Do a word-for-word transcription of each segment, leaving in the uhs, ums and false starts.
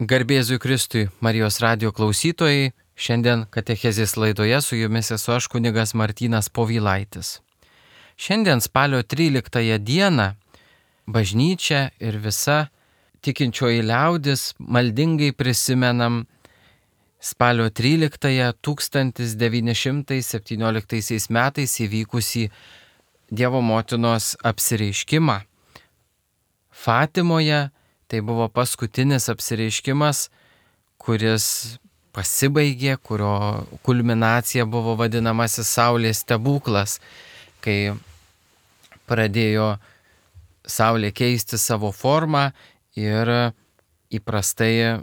Garbėzui Kristui, Marijos radio klausytojai, šiandien katechezės laidoje su jumis esu aš kunigas Martynas Povilaitis. Šiandien spalio tryliktąją dieną bažnyčia ir visa tikinčioji liaudis maldingai prisimenam spalio tryliktąją tūkstantis devyni šimtai septynioliktaisiais metais įvykusį Dievo motinos apsireiškimą Fatimoje. Tai buvo paskutinis apsireiškimas, kuris pasibaigė, kurio kulminacija buvo vadinamasis Saulės stebuklas, kai pradėjo Saulė keisti savo formą ir įprastai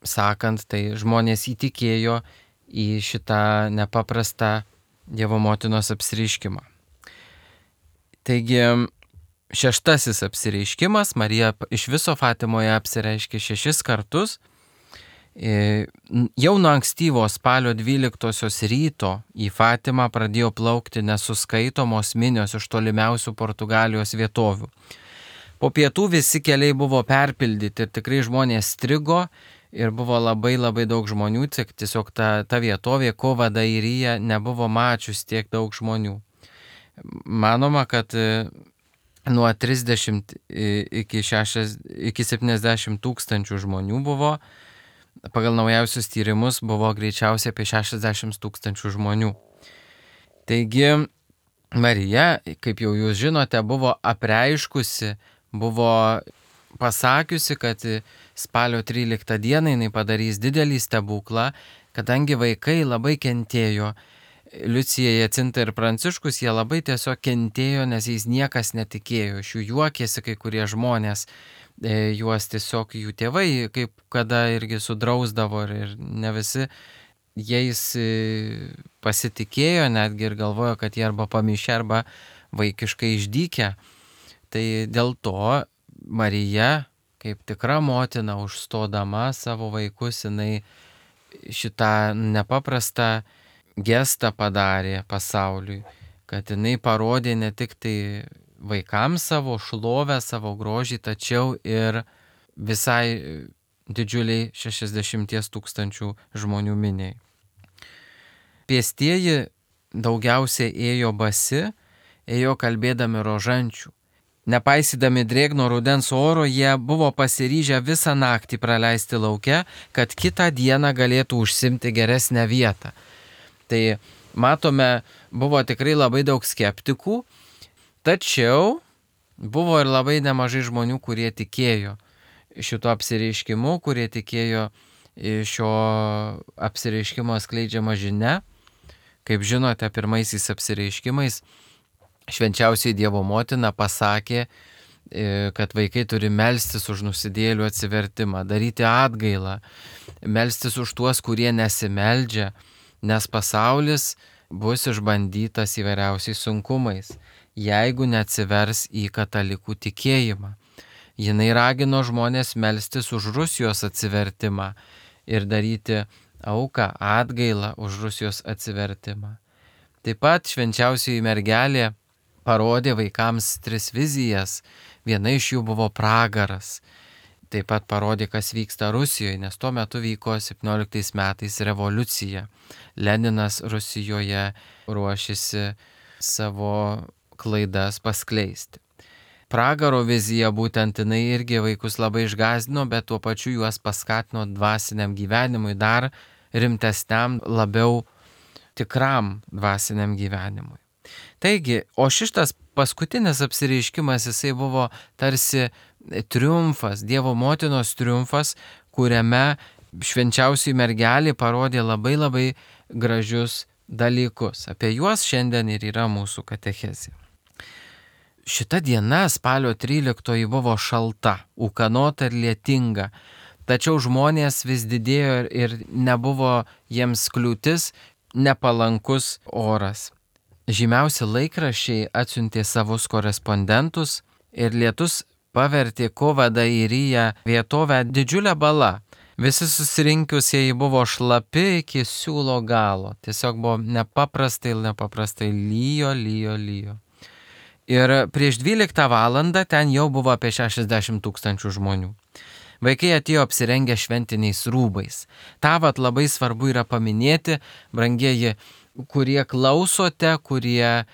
sakant, tai žmonės įtikėjo į šitą nepaprastą Dievo motinos apsireiškimą. Taigi, šeštasis apsireiškimas, Marija iš viso Fatimoje apsireiškė šešis kartus. Jau nuo ankstyvo spalio dvyliktosios ryto į Fatimą pradėjo plaukti nesuskaitomos minios iš tolimiausių Portugalijos vietovių. Po pietų visi keliai buvo perpildyti ir tikrai žmonės strigo ir buvo labai labai daug žmonių, tiesiog ta, ta vietovė Kova d'Airia nebuvo mačius tiek daug žmonių. Manoma, kad nuo trisdešimt iki, šešiasdešimt, iki septyniasdešimt tūkstančių žmonių buvo, pagal naujausius tyrimus buvo greičiausiai apie šešiasdešimt tūkstančių žmonių. Taigi Marija, kaip jau jūs žinote, buvo apreiškusi, buvo pasakiusi, kad spalio tryliktą dieną jinai padarys didelį stebuklą, kadangi vaikai labai kentėjo. Liucija, Jacinta ir Pranciškus, jie labai tiesiog kentėjo, nes jais niekas netikėjo. Iš jų juokėsi kai kurie žmonės, e, juos tiesiog jų tėvai, kaip kada irgi sudrausdavo ir, ir ne visi jais pasitikėjo, netgi ir galvojo, kad jie arba pamišę, arba vaikiškai išdykę. Tai dėl to Marija, kaip tikra motina, užstodama savo vaikus, jinai šitą nepaprastą gestą padarė pasauliui, kad jinai parodė ne tik tai vaikams savo šlovę, savo grožį, tačiau ir visai didžiuliai šešiasdešimties tūkstančių žmonių miniai. Pėstieji daugiausiai ėjo basi, ėjo kalbėdami rožančių. Nepaisydami drėgno rudens oro, jie buvo pasiryžę visą naktį praleisti lauke, kad kitą dieną galėtų užsimti geresnę vietą. Tai matome, buvo tikrai labai daug skeptikų, tačiau buvo ir labai nemažai žmonių, kurie tikėjo šito apsireiškimu, kurie tikėjo šio apsireiškimo skleidžiama žinia. Kaip žinote, pirmaisiais apsireiškimais švenčiausiai Dievo motina pasakė, kad vaikai turi melstis už nusidėjėlių atsivertimą, daryti atgailą, melstis už tuos, kurie nesimeldžia, nes pasaulis bus išbandytas įvairiausiais sunkumais, jeigu neatsivers į katalikų tikėjimą. Jinai ragino žmonės melstis už Rusijos atsivertimą ir daryti auką, atgailą už Rusijos atsivertimą. Taip pat švenčiausioji mergelė parodė vaikams tris vizijas, viena iš jų buvo pragaras. Taip pat parodė, kas vyksta Rusijoje, nes tuo metu vyko septynioliktais metais revoliucija. Leninas Rusijoje ruošėsi savo klaidas paskleisti. Pragaro vizija būtent jinai irgi vaikus labai išgąsdino, bet tuo pačiu juos paskatino dvasiniam gyvenimui, dar rimtesniam, labiau tikram dvasiniam gyvenimui. Taigi, o šitas paskutinis apsireiškimas, jisai buvo tarsi triumfas, Dievo motinos triumfas, kuriame švenčiausioji mergelė parodė labai labai gražius dalykus. Apie juos šiandien ir yra mūsų katechezė. Šita diena, spalio tryliktoji, buvo šalta, ūkanota ir lietinga, tačiau žmonės vis didėjo ir nebuvo jiems kliūtis nepalankus oras. Žymiausi laikraščiai atsiuntė savus korespondentus ir lietus pavertė Kova d'Airia vietovę didžiulę balą. Visi susirinkusieji buvo šlapi iki siūlo galo. Tiesiog buvo nepaprastai, nepaprastai lyjo, lyjo, lyjo. Ir prieš dvyliktą valandą ten jau buvo apie šešiasdešimt tūkstančių žmonių. Vaikai atėjo apsirengę šventiniais rūbais. Ta vat labai svarbu yra paminėti, brangieji, kurie klausote, kurie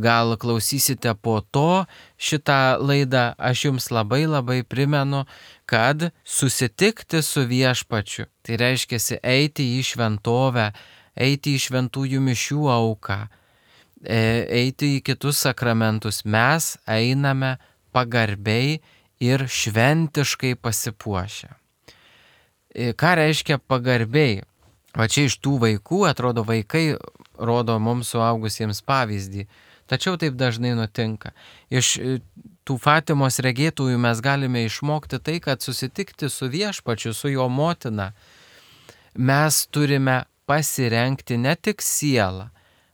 gal klausysite po to šitą laidą, aš jums labai labai primenu, kad susitikti su viešpačiu, tai reiškia eiti į šventovę, eiti į šventųjų mišių auką, eiti į kitus sakramentus, mes einame pagarbiai ir šventiškai pasipuošę. Ką reiškia pagarbiai? Va čia iš tų vaikų, atrodo, vaikai rodo mums suaugusiems pavyzdį, tačiau taip dažnai nutinka. Iš tų Fatimos regėtųjų mes galime išmokti tai, kad susitikti su viešpačiu, su jo motina, mes turime pasirengti ne tik sielą.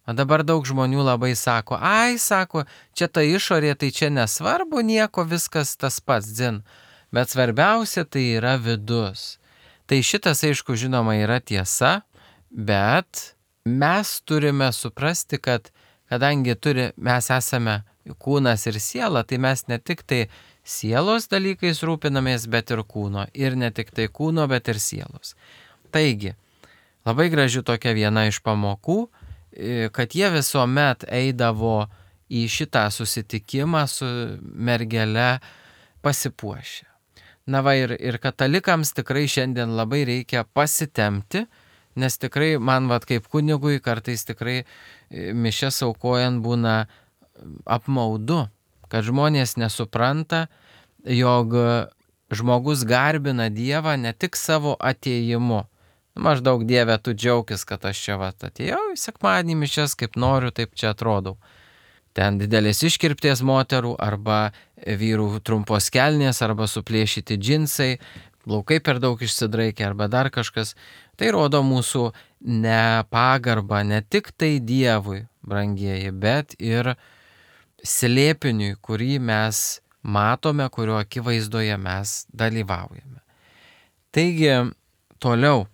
O dabar daug žmonių labai sako, ai, sako, čia ta išorė, tai čia nesvarbu nieko, viskas tas pats, dzin. Bet svarbiausia tai yra vidus. Tai šitas, aišku, žinoma, yra tiesa, bet mes turime suprasti, kad kadangi turi, mes esame kūnas ir siela, tai mes ne tik tai sielos dalykais rūpinamės, bet ir kūno. Ir ne tik tai kūno, bet ir sielos. Taigi, labai graži tokia viena iš pamokų, kad jie visuomet eidavo į šitą susitikimą su mergele pasipuošę. Na va ir, ir katalikams tikrai šiandien labai reikia pasitemti, nes tikrai man vat kaip kunigui kartais tikrai mišias aukojant būna apmaudu, kad žmonės nesupranta, jog žmogus garbina Dievą ne tik savo atėjimu. Maždaug Dieve, tu džiaukis, kad aš čia vat atėjau į sekmadienį mišias, kaip noriu, taip čia atrodau. Ten didelės iškirpties moterų arba vyrų trumpos kelnės arba suplėšyti džinsai, plaukai per daug išsidraikę arba dar kažkas. Tai rodo mūsų nepagarbą ne tik tai Dievui, brangieji, bet ir slėpiniui, kurį mes matome, kurio akivaizdoje mes dalyvaujame. Taigi, toliau.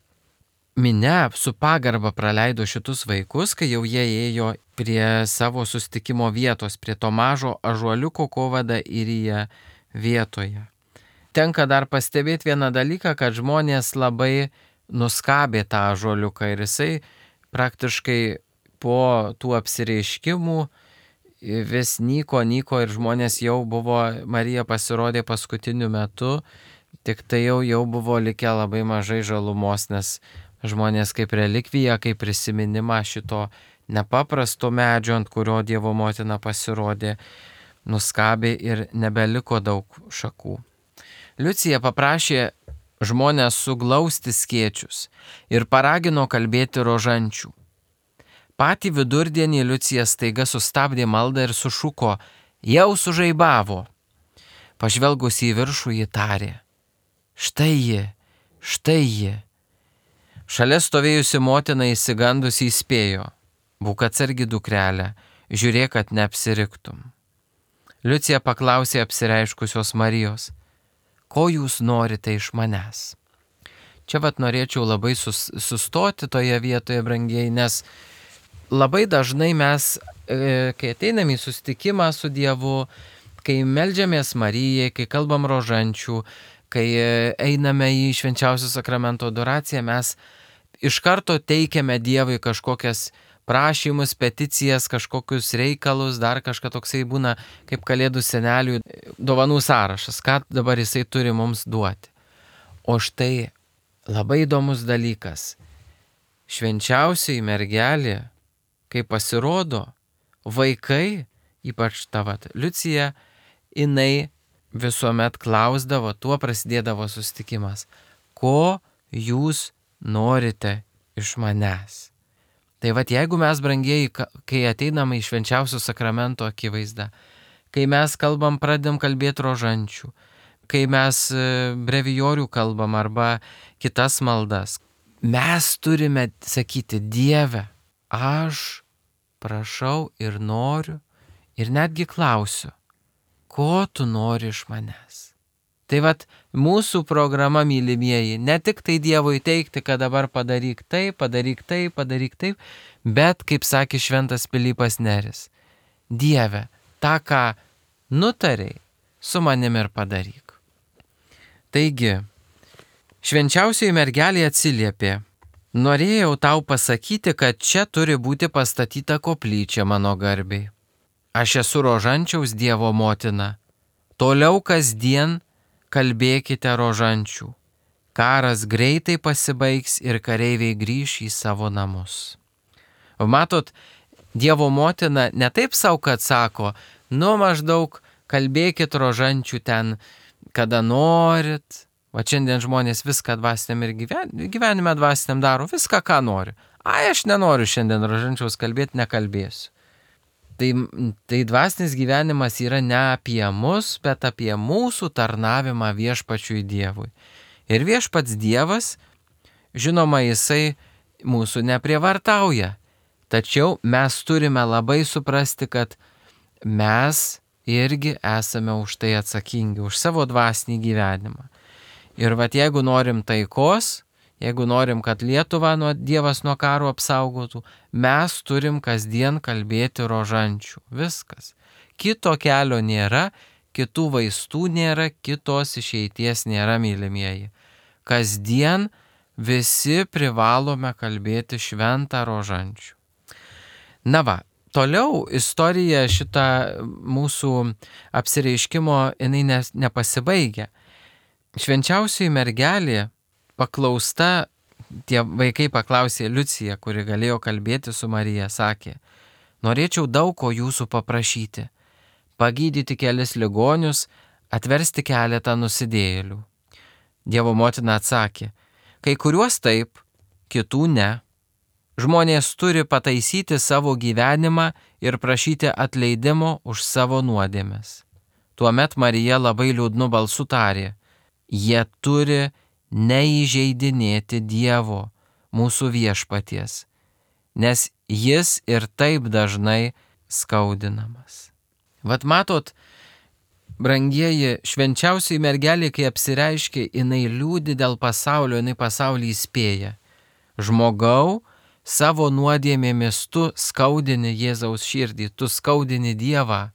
Minia su pagarba praleido šitus vaikus, kai jau jie ėjo prie savo sustikimo vietos, prie to mažo ąžuoliuko kovada Irija vietoje. Tenka dar pastebėti vieną dalyką, kad žmonės labai nuskabė tą ąžuoliuką ir jisai praktiškai po tų apsireiškimų vis nyko, nyko ir žmonės jau buvo, Marija pasirodė paskutiniu metu, tik tai jau, jau buvo likę labai mažai žalumos, nes žmonės kaip relikviją, kaip prisiminimą šito nepaprasto medžio, ant kurio Dievo motina pasirodė, nuskabė ir nebeliko daug šakų. Liucija paprašė žmonės suglausti skėčius ir paragino kalbėti rožančių. Patį vidurdienį Liucija staiga sustabdė maldą ir sušuko, jau sužaibavo. Pažvelgusi į viršų, ji tarė, štai ji, štai ji. Šalia stovėjusi motina įsigandusi įspėjo, būk atsargi dukrelė, žiūrėk, kad neapsiriktum. Liucija paklausė apsireiškusios Marijos, ko jūs norite iš manęs? Čia vat norėčiau labai sus, sustoti toje vietoje, brangieji, nes labai dažnai mes, e, kai ateiname į susitikimą su Dievu, kai meldžiamės Marijai, kai kalbam rožančių, kai einame į švenčiausio sakramento adoraciją, mes iš karto teikiame Dievui kažkokias prašymus, peticijas, kažkokius reikalus, dar kažką toksai būna kaip kalėdų senelių dovanų sąrašas, ką dabar jisai turi mums duoti. O štai labai įdomus dalykas. Švenčiausiai mergelė, kai pasirodo, vaikai, ypač ta vat Liucija, jinai visuomet klausdavo, tuo prasidėdavo susitikimas, ko jūs norite iš manęs. Tai vat jeigu mes, brangieji, kai ateiname į švenčiausio sakramento akivaizdą, kai mes kalbam, pradedam kalbėti rožančių, kai mes brevijorių kalbam arba kitas maldas, mes turime sakyti, Dieve, aš prašau ir noriu ir netgi klausiu, ko tu nori iš manęs. Tai vat mūsų programa, mylimieji, ne tik tai Dievui teikti, kad dabar padaryk taip, padaryk taip, padaryk taip, bet, kaip sakė šventas Pilypas Neris, Dieve, tą, ką nutarei, su manim ir padaryk. Taigi, švenčiausioji mergelė atsiliepė: norėjau tau pasakyti, kad čia turi būti pastatyta koplyčia mano garbei. Aš esu rožančiaus Dievo motina. Toliau kasdien kalbėkite rožančių. Karas greitai pasibaigs ir kareiviai grįš į savo namus. Matot, Dievo motina ne taip savo, kad sako, nu maždaug kalbėkit rožančių ten, kada norit. Va šiandien žmonės viską dvasiniam ir gyven, gyvenime dvasiniam daro, viską, ką nori. Ai, aš nenoriu šiandien rožančiaus kalbėti, nekalbėsiu. Tai, tai dvasinis gyvenimas yra ne apie mus, bet apie mūsų tarnavimą viešpačiui Dievui. Ir viešpats Dievas, žinoma, jisai mūsų neprievartauja. Tačiau mes turime labai suprasti, kad mes irgi esame už tai atsakingi, už savo dvasinį gyvenimą. Ir vat jeigu norim taikos, jeigu norim, kad Lietuvą nuo Dievas nuo karo apsaugotų, mes turim kasdien kalbėti rožančių. Viskas. Kito kelio nėra, kitų vaistų nėra, kitos išeities nėra, mylimieji. Kasdien visi privalome kalbėti šventą rožančių. Na va, toliau istorija šita mūsų apsireiškimo jinai ne, nepasibaigia. Švenčiausioji mergelė paklausta, tie vaikai paklausė Liuciją, kuri galėjo kalbėti su Marija, sakė: norėčiau daug ko jūsų paprašyti, pagydyti kelis ligonius, atversti keletą nusidėjėlių. Dievo motina atsakė: kai kuriuos taip, kitų ne. Žmonės turi pataisyti savo gyvenimą ir prašyti atleidimo už savo nuodėmes. Tuomet Marija labai liūdnu balsu tarė: jie turi neįžeidinėti Dievo, mūsų viešpaties, nes jis ir taip dažnai skaudinamas. Vat matot, brangieji, švenčiausioji mergelė, kai apsireiškia, jinai liūdi dėl pasaulio, jinai pasaulį įspėja. Žmogau, savo nuodėmėmis tu skaudini Jėzaus širdį, tu skaudini Dievą.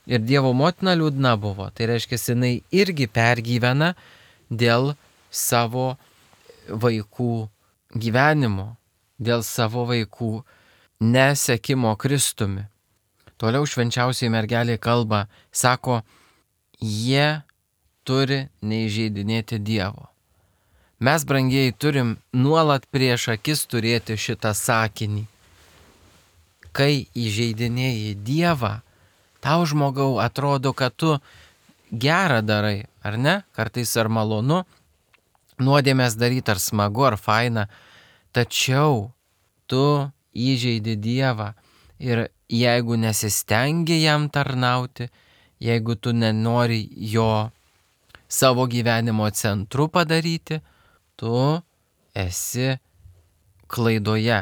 Ir Dievo motina liūdna buvo. Tai reiškia, jinai irgi pergyvena dėl savo vaikų gyvenimo, dėl savo vaikų nesekimo Kristumi. Toliau švenčiausioji mergelė kalba, sako, jie turi neįžeidinėti Dievo. Mes, brangieji, turim nuolat prieš akis turėti šitą sakinį. Kai įžeidinėji Dievą, tau, žmogau, atrodo, kad tu gerą darai, ar ne? Kartais ar malonu, nuodėmės daryti, ar smagu, ar faina. Tačiau tu įžeidi Dievą ir jeigu nesistengi jam tarnauti, jeigu tu nenori jo savo gyvenimo centru padaryti, tu esi klaidoje.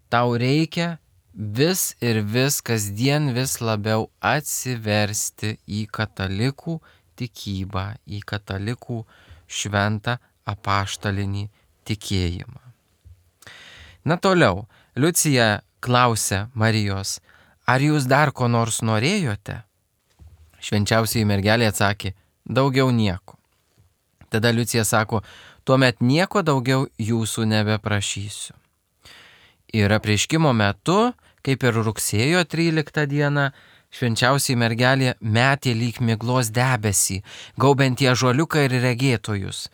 Tau reikia vis ir vis kasdien vis labiau atsiversti į katalikų tikybą, į katalikų šventą apaštalinį tikėjimą. Na toliau, Liucija klausia Marijos, ar jūs dar ko nors norėjote? Švenčiausioji mergelė atsakė, daugiau nieko. Tada Liucija sako, tuomet nieko daugiau jūsų nebeprašysiu. Ir apreiškimo metu, kaip ir rugsėjo tryliktą dieną, švenčiausioji mergelė metė lyg miglos debesį, gaubiantį ąžuoliuką ir regėtojus.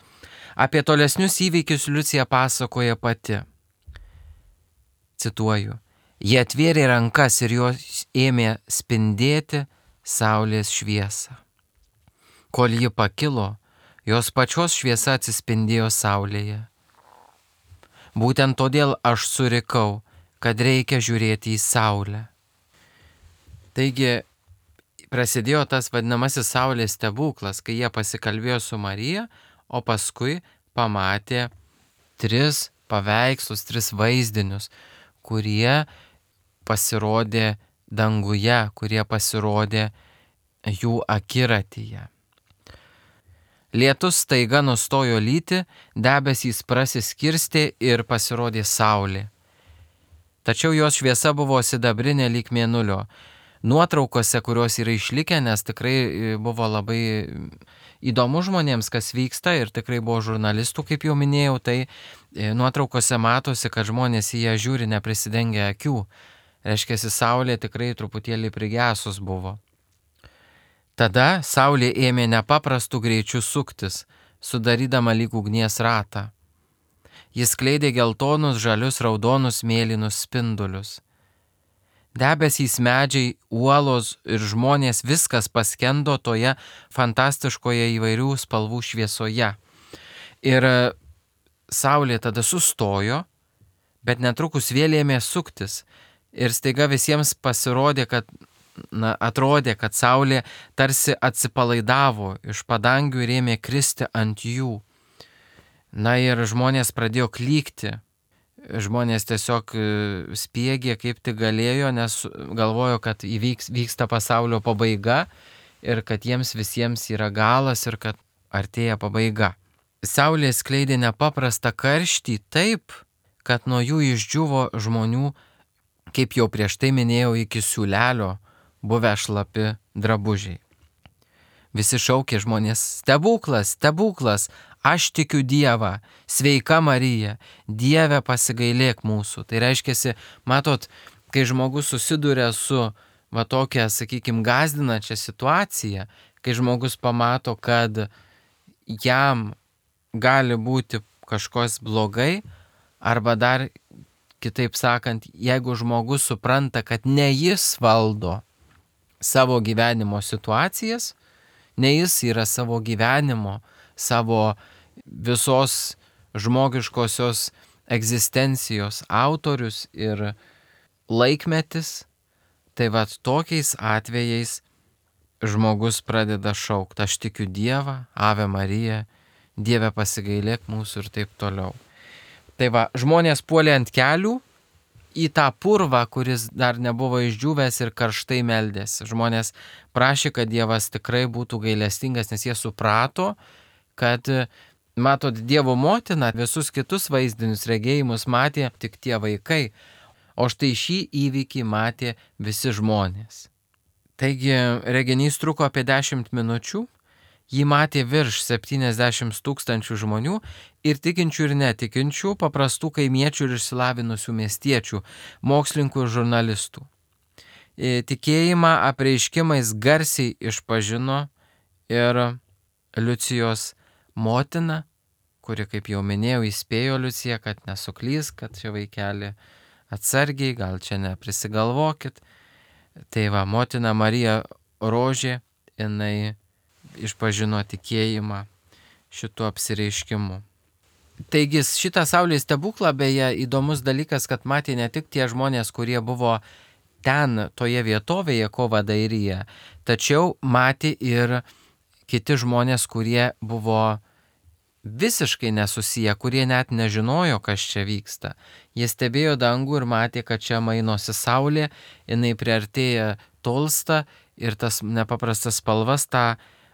Apie tolesnius įvykius Liucija pasakoja pati. Cituoju, jie atvėrė rankas ir jos ėmė spindėti saulės šviesą. Kol ji pakilo, jos pačios šviesa atsispindėjo saulėje. Būtent todėl aš surikau, kad reikia žiūrėti į saulę. Taigi prasidėjo tas vadinamasis saulės stebuklas, kai jie pasikalbėjo su Marija, o paskui pamatė tris paveikslus, tris vaizdinius, kurie pasirodė danguje, kurie pasirodė jų akiratyje. Lietus staiga nustojo lyti, debesys prasiskirstė ir pasirodė saulė. Tačiau jos šviesa buvo sidabrinė lyg mėnulio. nuotraukose, kurios yra išlikę, nes tikrai buvo labai įdomu žmonėms, kas vyksta ir tikrai buvo žurnalistų, kaip jau minėjau, tai nuotraukose matosi, kad žmonės į ją žiūri neprisidengę akių. Reiškia, saulė tikrai truputėlį prigesus buvo. Tada saulė ėmė nepaprastų greičių suktis, sudarydama lyg ugnies ratą. Jis skleidė geltonus, žalius, raudonus, mėlynus spindulius. Debesys, medžiai, uolos ir žmonės viskas paskendo toje fantastiškoje įvairių spalvų šviesoje. Ir saulė tada sustojo, bet netrukus vėl ėmė suktis. Ir staiga visiems pasirodė, kad, na, atrodė, kad saulė tarsi atsipalaidavo iš padangių ir ėmė kristi ant jų. Na ir žmonės pradėjo klykti. Žmonės tiesiog spiegė kaip tik galėjo, nes galvojo, kad įvyks, vyksta pasaulio pabaiga ir kad jiems visiems yra galas ir kad artėja pabaiga. Saulė skleidė nepaprastą karštį taip, kad nuo jų išdžiuvo žmonių, kaip jau prieš tai minėjau, iki siūlelio buvę šlapi drabužiai. Visi šaukė žmonės: stebuklas, stebuklas, aš tikiu Dievą, sveika Marija, Dieve pasigailėk mūsų. Tai reiškia, matot, kai žmogus susiduria su va tokia, sakykime, gąsdinančia situacija, kai žmogus pamato, kad jam gali būti kažkas blogai, arba dar kitaip sakant, jeigu žmogus supranta, kad ne jis valdo savo gyvenimo situacijas, ne jis yra savo gyvenimo, savo visos žmogiškosios egzistencijos autorius ir laikmetis, tai vat tokiais atvejais žmogus pradeda šaukti: aš tikiu Dievą, Ave Marija, Dieve pasigailėk mūsų ir taip toliau. Tai va, žmonės puolė ant kelių į tą purvą, kuris dar nebuvo išdžiūvęs, ir karštai meldėsi. Žmonės prašė, kad Dievas tikrai būtų gailestingas, nes jie suprato, kad, matot, Dievo motina visus kitus vaizdinius regėjimus matė tik tie vaikai, o štai šį įvykį matė visi žmonės. Taigi reginys truko apie dešimt minučių, jį matė virš septyniasdešimt tūkstančių žmonių, ir tikinčių ir netikinčių, paprastų kaimiečių ir išsilavinusių miestiečių, mokslininkų ir žurnalistų. Tikėjimą apreiškimais garsiai išpažino ir Liucijos motina, kuri, kaip jau minėjau, įspėjo Liuciją, kad nesuklys, kad čia vaikeli atsargiai, gal čia neprisigalvokit. Tai va, motina Marija Rožė, jinai išpažino tikėjimą šituo apsireiškimu. Taigi šitą saulės stebuklą, beje, įdomus dalykas, kad matė ne tik tie žmonės, kurie buvo ten, toje vietovėje Kovadairyje, tačiau matė ir kiti žmonės, kurie buvo visiškai nesusiję, kurie net nežinojo, kas čia vyksta. Jie stebėjo dangų ir matė, kad čia mainosi saulė, jinai priartėja, tolsta, ir tas nepaprastas spalvas, tą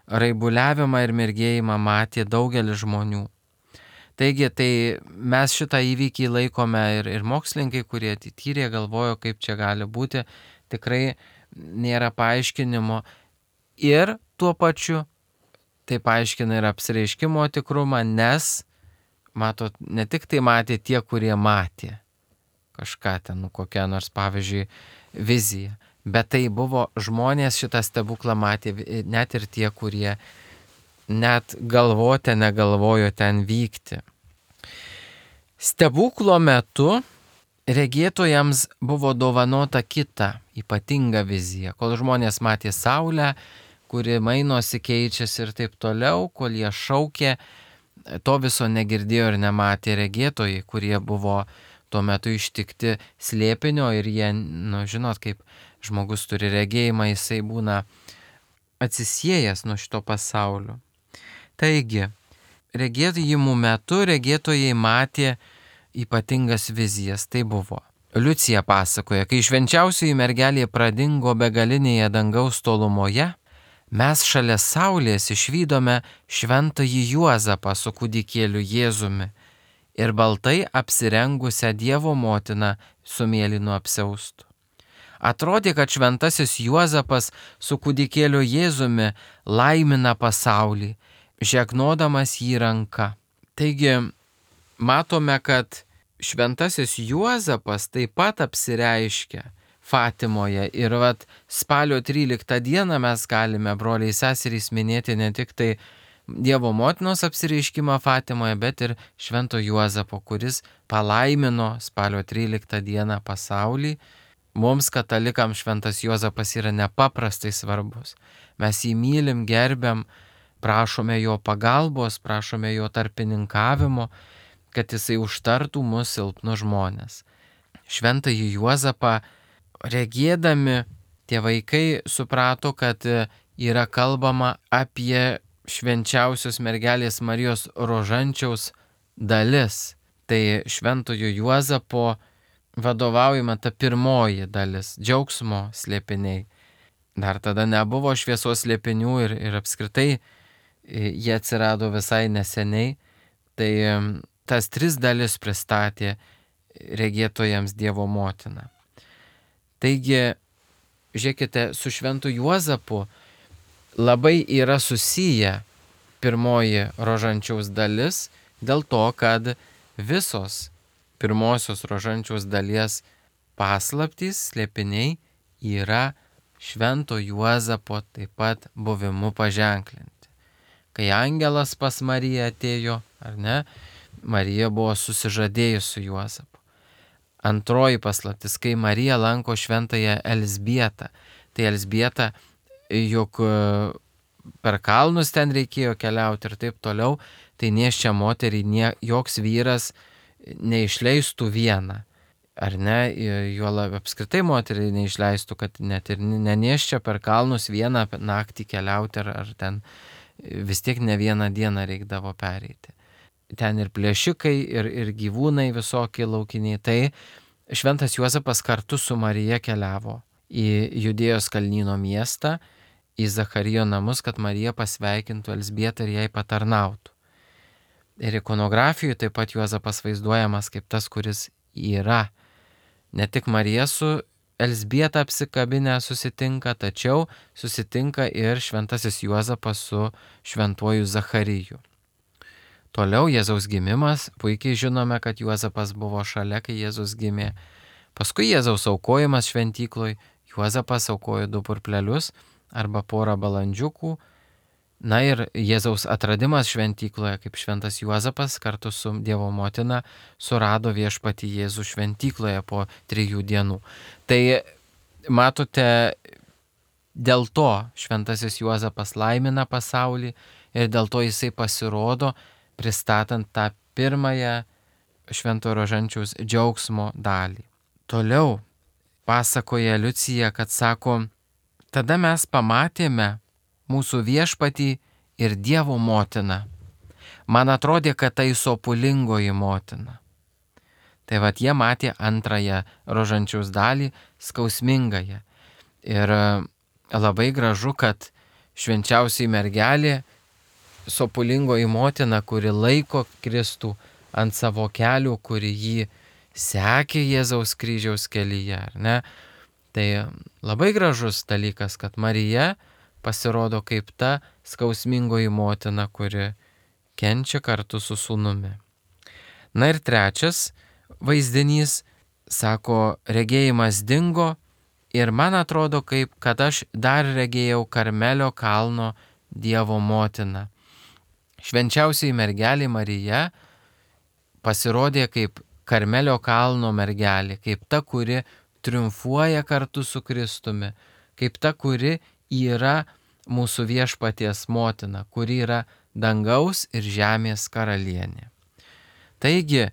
raibuliavimą ir mirgėjimą matė daugelis žmonių. Taigi, tai mes šitą įvykį laikome ir, ir mokslininkai, kurie tyrė, galvojo, kaip čia gali būti, tikrai nėra paaiškinimo. Ir tuo pačiu tai paaiškina ir apsireiškimo tikrumą, nes, matot, ne tik tai matė tie, kurie matė kažką ten, nu, kokią nors, pavyzdžiui, viziją, bet tai buvo žmonės, šitą stebuklą matė net ir tie, kurie net galvote negalvojo ten vykti. Stebuklo metu regėtojams buvo dovanota kita ypatinga vizija, kol žmonės matė saulę, kuri mainosi, keičiasi ir taip toliau, kol jie šaukė, to viso negirdėjo ir nematė regėtojai, kurie buvo tuo metu ištikti slėpinio, ir jie, nu, žinot, kaip žmogus turi regėjimą, jisai būna atsisiejęs nuo šito pasaulio. Taigi, regėjimų metu regėtojai matė ypatingas vizijas. Tai buvo. Liucija pasakoja, kai švenčiausioji mergelė pradingo begalinėje dangaus tolumoje, mes šalia saulės išvydome šventąjį Juozapą su kūdikėliu Jėzumi ir baltai apsirengusią Dievo motiną su mėlynu apsiaustu. Atrodė, kad šventasis Juozapas su kūdikėliu Jėzumi laimina pasaulį, žegnodamas jį ranka. Taigi, matome, kad šventasis Juozapas taip pat apsireiškia Fatimoje. Ir vat spalio tryliktą dieną mes galime, broliai seserys, minėti ne tik tai Dievo motinos apsireiškimą Fatimoje, bet ir švento Juozapo, kuris palaimino spalio tryliktą dieną pasaulį. Mums katalikams šventas Juozapas yra nepaprastai svarbus. Mes jį mylim, gerbiam, prašome jo pagalbos, prašome jo tarpininkavimo, kad jisai užtartų mus silpnus žmonės. Šventąjį Juozapą regėdami tie vaikai suprato, kad yra kalbama apie švenčiausios mergelės Marijos rožančiaus dalis. Tai šventojo Juozapo vadovaujama ta pirmoji dalis, džiaugsmo slėpiniai. Dar tada nebuvo šviesos slėpinių ir, ir apskritai jie atsirado visai neseniai. Tai tas tris dalis pristatė regėtojams Dievo motina. Taigi, žiūrėkite, su šventu Juozapu labai yra susiję pirmoji rožančiaus dalis dėl to, kad visos pirmosios rožančiaus dalies paslaptys, slėpiniai yra švento Juozapo taip pat buvimu paženklinti. Kai angelas pas Mariją atėjo, ar ne, Marija buvo susižadėjus su Juozapu. Antroji paslaptis, kai Marija lanko šventąją Elzbietą. Tai Elzbieta, juk per kalnus ten reikėjo keliauti ir taip toliau, tai nėščią moterį nie, joks vyras neišleistų vieną. Ar ne, juolab apskritai moterį neišleistų, kad net ir nenėščią per kalnus vieną naktį keliauti, ar, ar ten vis tiek ne vieną dieną reikdavo pereiti. Ten ir plėšikai, ir, ir gyvūnai visokie laukiniai. Tai šventas Juozapas kartu su Marija keliavo į Judėjos kalnyno miestą, į Zacharijo namus, kad Marija pasveikintų Elzbietą ir jai patarnautų. Ir ikonografijoje taip pat Juozapas vaizduojamas kaip tas, kuris yra. Ne tik Marija su Elzbieta apsikabinę susitinka, tačiau susitinka ir šventasis Juozapas su šventuoju Zachariju. Toliau Jėzaus gimimas, puikiai žinome, kad Juozapas buvo šalia, kai Jėzus gimė. Paskui Jėzaus aukojimas šventykloj, Juozapas aukojo du purplelius arba porą balandžiukų. Na ir Jėzaus atradimas šventykloje, kaip šventas Juozapas kartu su Dievo motina surado viešpatį Jėzų šventykloje po trijų dienų. Tai matote, dėl to šventasis Juozapas laimina pasaulį ir dėl to jisai pasirodo, pristatant tą pirmąją švento rožančiaus džiaugsmo dalį. Toliau pasakoja Liucija, kad sako, tada mes pamatėme mūsų viešpatį ir Dievo motiną. Man atrodė, kad tai sopulingoji motina. Tai vat jie matė antrąją rožančiaus dalį, skausmingąją. Ir labai gražu, kad švenčiausiai mergelė, sopulingoji motina, kuri laiko Kristų ant savo kelių, kuri jį sekė Jėzaus kryžiaus kelyje, ar ne? Tai labai gražus dalykas, kad Marija pasirodo kaip ta skausmingoji motina, kuri kenčia kartu su sūnumi. Na ir trečias vaizdinys, sako, regėjimas dingo ir man atrodo, kaip kad aš dar regėjau Karmelio kalno Dievo motiną. Švenčiausiai mergelė Marija pasirodė kaip Karmelio kalno mergelė, kaip ta, kuri triumfuoja kartu su Kristumi, kaip ta, kuri yra mūsų viešpaties motina, kuri yra dangaus ir žemės karalienė. Taigi,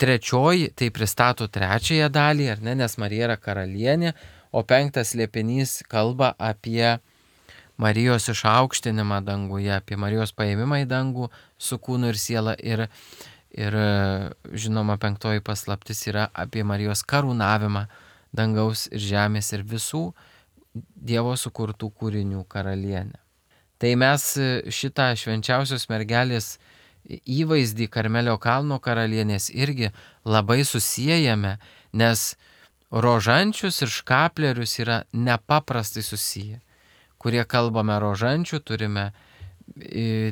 trečioji, tai pristato trečiąją dalį, ar ne, nes Marija yra karalienė, o penktas slėpinys kalba apie Marijos išaukštinimą danguje, apie Marijos paėmimą į dangų su kūnu ir siela ir, ir žinoma, penktoji paslaptis yra apie Marijos karūnavimą dangaus ir žemės ir visų Dievo sukurtų kūrinių karalienę. Tai mes šitą švenčiausios mergelės įvaizdį Karmelio kalno karalienės irgi labai susijęjame, nes rožančius ir škaplierius yra nepaprastai susiję. Kurie kalbame rožančių, turime,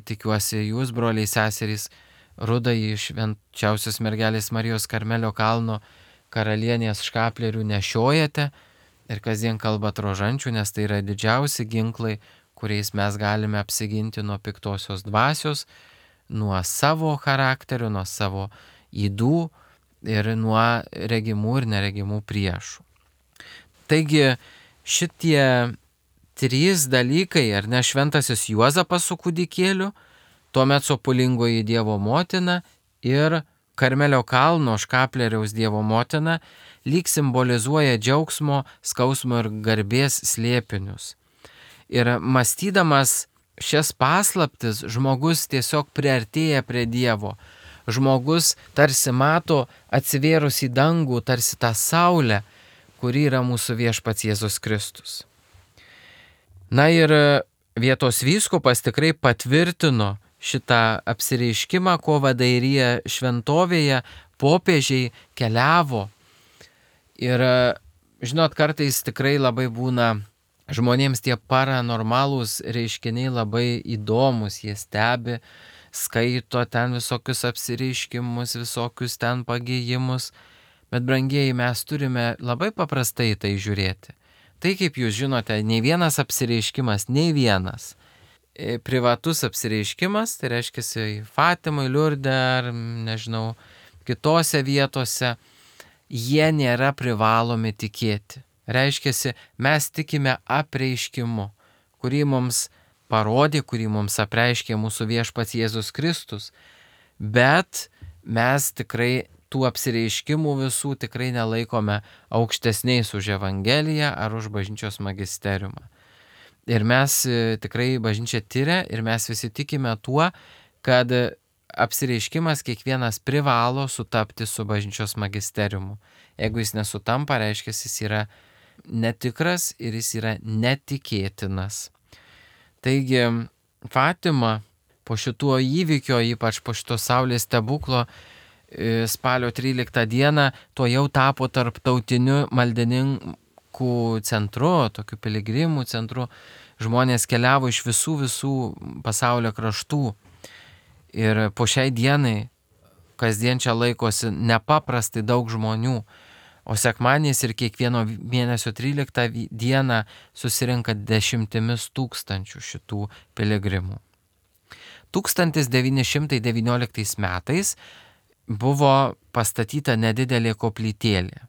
tikiuosi jūs, broliai seserys, rudąjį švenčiausios mergelės Marijos Karmelio kalno karalienės škaplierių nešiojate ir kasdien kalbat rožančių, nes tai yra didžiausi ginklai, kuriais mes galime apsiginti nuo piktosios dvasios, nuo savo charakterio, nuo savo ydų ir nuo regimų ir neregimų priešų. Taigi šitie trys dalykai, ar ne, šventasis Juozapas su kūdikėliu, tuomet sopulingoji Dievo motina ir Karmelio kalno škaplieriaus Dievo motina lyg simbolizuoja džiaugsmo, skausmo ir garbės slėpinius. Ir mąstydamas šias paslaptis, žmogus tiesiog priartėja prie Dievo. Žmogus tarsi mato atsivėrus į dangų, tarsi tą saulę, kuri yra mūsų viešpats Jėzus Kristus. Na ir vietos vyskupas tikrai patvirtino šitą apsireiškimą, ko Vadairija šventovėje popiežiai keliavo. Ir žinot, kartais tikrai labai būna žmonėms tie paranormalūs reiškiniai labai įdomus, jie stebi, skaito ten visokius apsireiškimus, visokius ten pagėjimus, bet brangieji, mes turime labai paprastai tai žiūrėti. Tai kaip jūs žinote, nei vienas apsireiškimas, nei vienas privatus apsireiškimas, tai reiškia Fatimai, Liurde ar, nežinau, kitose vietose, jie nėra privalomi tikėti. Reiškia, mes tikime apreiškimu, kurį mums parodė, kurį mums apreiškė mūsų viešpats Jėzus Kristus, bet mes tikrai tų apsireiškimų visų tikrai nelaikome aukštesniais už Evangeliją ar už bažnyčios magisteriumą. Ir mes tikrai bažnyčia tyria ir mes visi tikime tuo, kad apsireiškimas kiekvienas privalo sutapti su bažnyčios magisteriumu. Jeigu jis nesutampa, reiškia, jis yra netikras ir jis yra netikėtinas. Taigi Fatima po šituo įvykio, ypač po šito saulės stebuklo, spalio tryliktą dieną, to jau tapo tarptautiniu maldininkų centru, tokiu piligrimų centru. Žmonės keliavo iš visų visų pasaulio kraštų. Ir po šiai dienai kasdien čia laikosi nepaprastai daug žmonių. O sekmadieniais ir kiekvieno mėnesio tryliktą dieną susirinka dešimtimis tūkstančių šitų piligrimų. tūkstantis devyni šimtai devynioliktais metais buvo pastatyta nedidelė koplytėlė.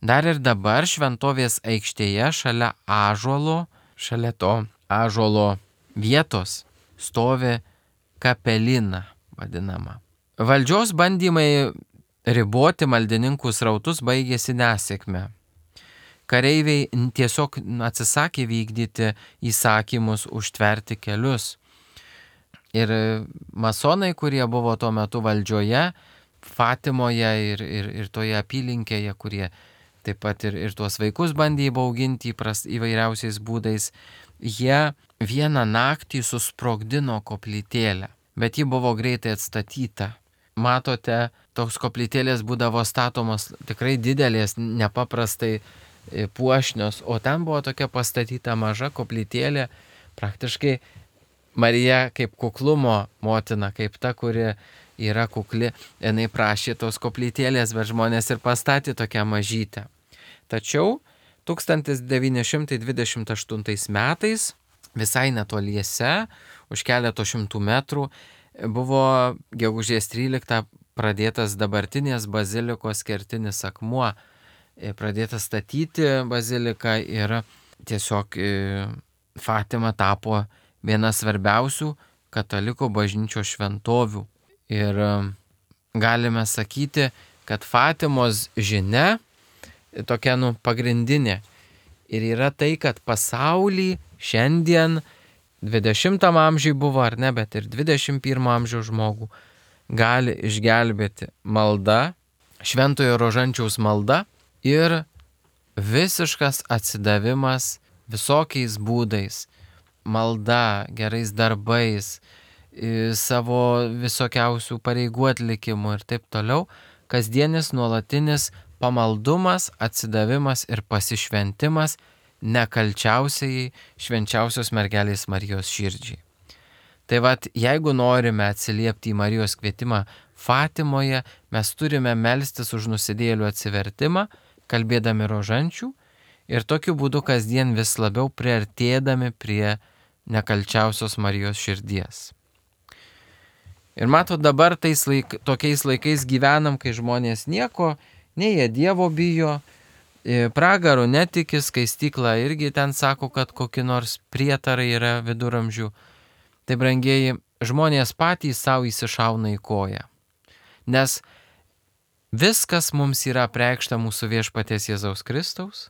Dar ir dabar šventovės aikštėje šalia ąžuolo, šalia to ąžuolo vietos stovi kapelina vadinama. Valdžios bandymai riboti maldininkų srautus baigėsi nesėkme. Kareiviai tiesiog atsisakė vykdyti įsakymus užtverti kelius. Ir masonai, kurie buvo tuo metu valdžioje, Fatimoje ir, ir, ir toje apylinkėje, kurie taip pat ir, ir tuos vaikus bandė įbauginti įpras, įvairiausiais būdais, jie vieną naktį susprogdino koplytėlę, bet ji buvo greitai atstatyta. Matote, toks koplytėlės būdavo statomos tikrai didelės, nepaprastai puošnios, o ten buvo tokia pastatyta maža koplytėlė, praktiškai Marija kaip kuklumo motina, kaip ta, kuri yra kukli, jinai prašė tos koplytėlės, bet žmonės ir pastatė tokią mažytę. Tačiau tūkstantis devyni šimtai dvidešimt aštuntais metais, visai netoliese, už keleto šimtų metrų, buvo gegužės tryliktą pradėtas dabartinės bazilikos kertinis akmuo, pradėtas statyti baziliką ir tiesiog Fatima tapo viena svarbiausių katalikų bažnyčios šventovių. Ir galime sakyti, kad Fatimos žinia tokia nu, pagrindinė ir yra tai, kad pasaulį šiandien dvidešimtam amžiui buvo ar ne, bet ir dvidešimt pirmo amžiaus žmogų gali išgelbėti malda, šventojo rožančiaus malda ir visiškas atsidavimas visokiais būdais, malda, gerais darbais, savo visokiausių pareigų atlikimu ir taip toliau, kasdienis nuolatinis pamaldumas, atsidavimas ir pasišventimas nekalčiausiai švenčiausios mergelės Marijos širdžiai. Tai vad, jeigu norime atsiliepti į Marijos kvietimą Fatimoje, mes turime melstis už nusidėjėlių atsivertimą, kalbėdami rožančių ir tokiu būdu kasdien vis labiau priartėdami prie nekalčiausios Marijos širdies. Ir matot, dabar tais laik, tokiais laikais gyvenam, kai žmonės nieko, nei jie Dievo bijo, pragaro netiki, skaistykla irgi ten sako, kad kokie nors prietarai yra viduramžių. Tai brangieji, žmonės patys savo įsišauna į koją. Nes viskas mums yra apreikšta mūsų viešpaties Jėzaus Kristaus,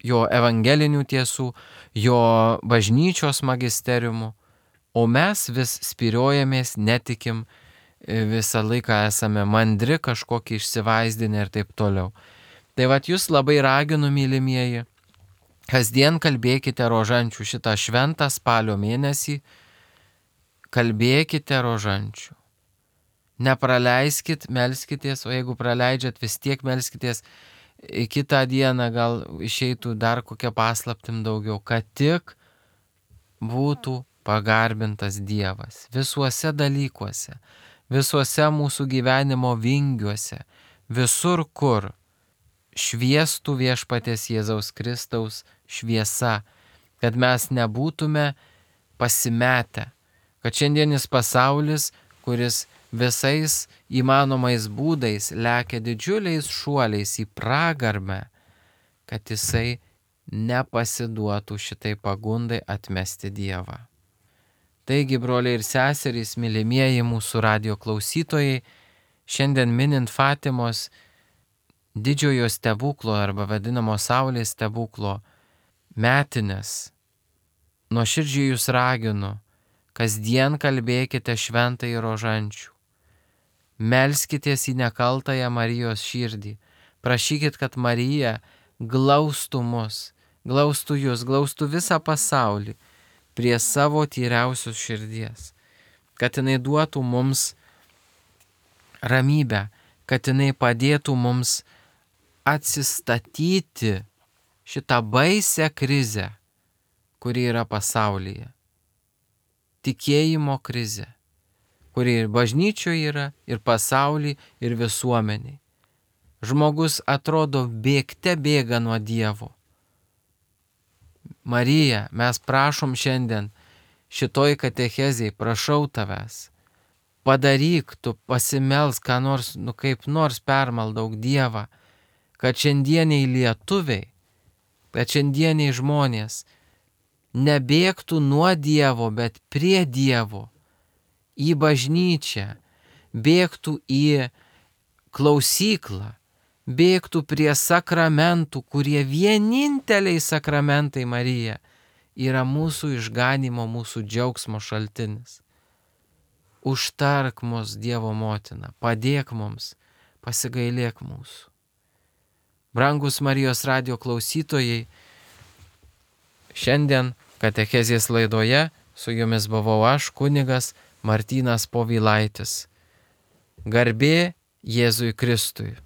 jo evangelinių tiesų, jo bažnyčios magisteriumų, o mes vis spyriojamės, netikim, visą laiką esame mandri, kažkokį išsivaizdinę ir taip toliau. Tai vat jūs labai raginu, mylimieji, kasdien kalbėkite rožančių šitą šventą spalio mėnesį, kalbėkite rožančių. Nepraleiskit, melskitės, o jeigu praleidžiat, vis tiek melskitės, kitą dieną gal išeitų dar kokią paslaptim daugiau, kad tik būtų pagarbintas Dievas visuose dalykuose, visuose mūsų gyvenimo vingiuose, visur kur šviestų viešpaties Jėzaus Kristaus šviesa, kad mes nebūtume pasimetę, kad šiandienis pasaulis, kuris visais įmanomais būdais lekia didžiuliais šuoliais į pragarmę, kad jisai nepasiduotų šitai pagundai atmesti Dievą. Taigi, broliai ir seserys, mylimieji mūsų radijo klausytojai, šiandien minint Fatimos didžiojo stebuklo arba vadinamo Saulės stebuklo metines, nuoširdžiai jūs raginu, kasdien kalbėkite šventai rožančių, melskitės į nekaltąją Marijos širdį, prašykit, kad Marija glaustų mus, glaustų jūs, glaustų visą pasaulį prie savo tyriausios širdies, kad jinai duotų mums ramybę, kad jinai padėtų mums atsistatyti šitą baisę krizę, kuri yra pasaulyje. Tikėjimo krizė, kuri ir bažnyčioje yra, ir pasaulyje, ir visuomeniai. Žmogus atrodo bėgte bėga nuo Dievo. Marija, mes prašom šiandien šitoj katechezėj, prašau tavęs, padaryk, tu pasimelsk, ką nors, nu kaip nors permaldauk Dievą, kad šiandieniai lietuviai, kad šiandieniai žmonės nebėgtų nuo Dievo, bet prie Dievo, į bažnyčią, bėgtų į klausyklą, bėgtų prie sakramentų, kurie vieninteliai sakramentai, Marija, yra mūsų išganimo, mūsų džiaugsmo šaltinis. Užtark mus, Dievo motina, padėk mums, pasigailėk mūsų. Brangus Marijos radijo klausytojai, šiandien katechezės laidoje su jumis buvau aš, kunigas Martynas Povilaitis. Garbė Jėzui Kristui.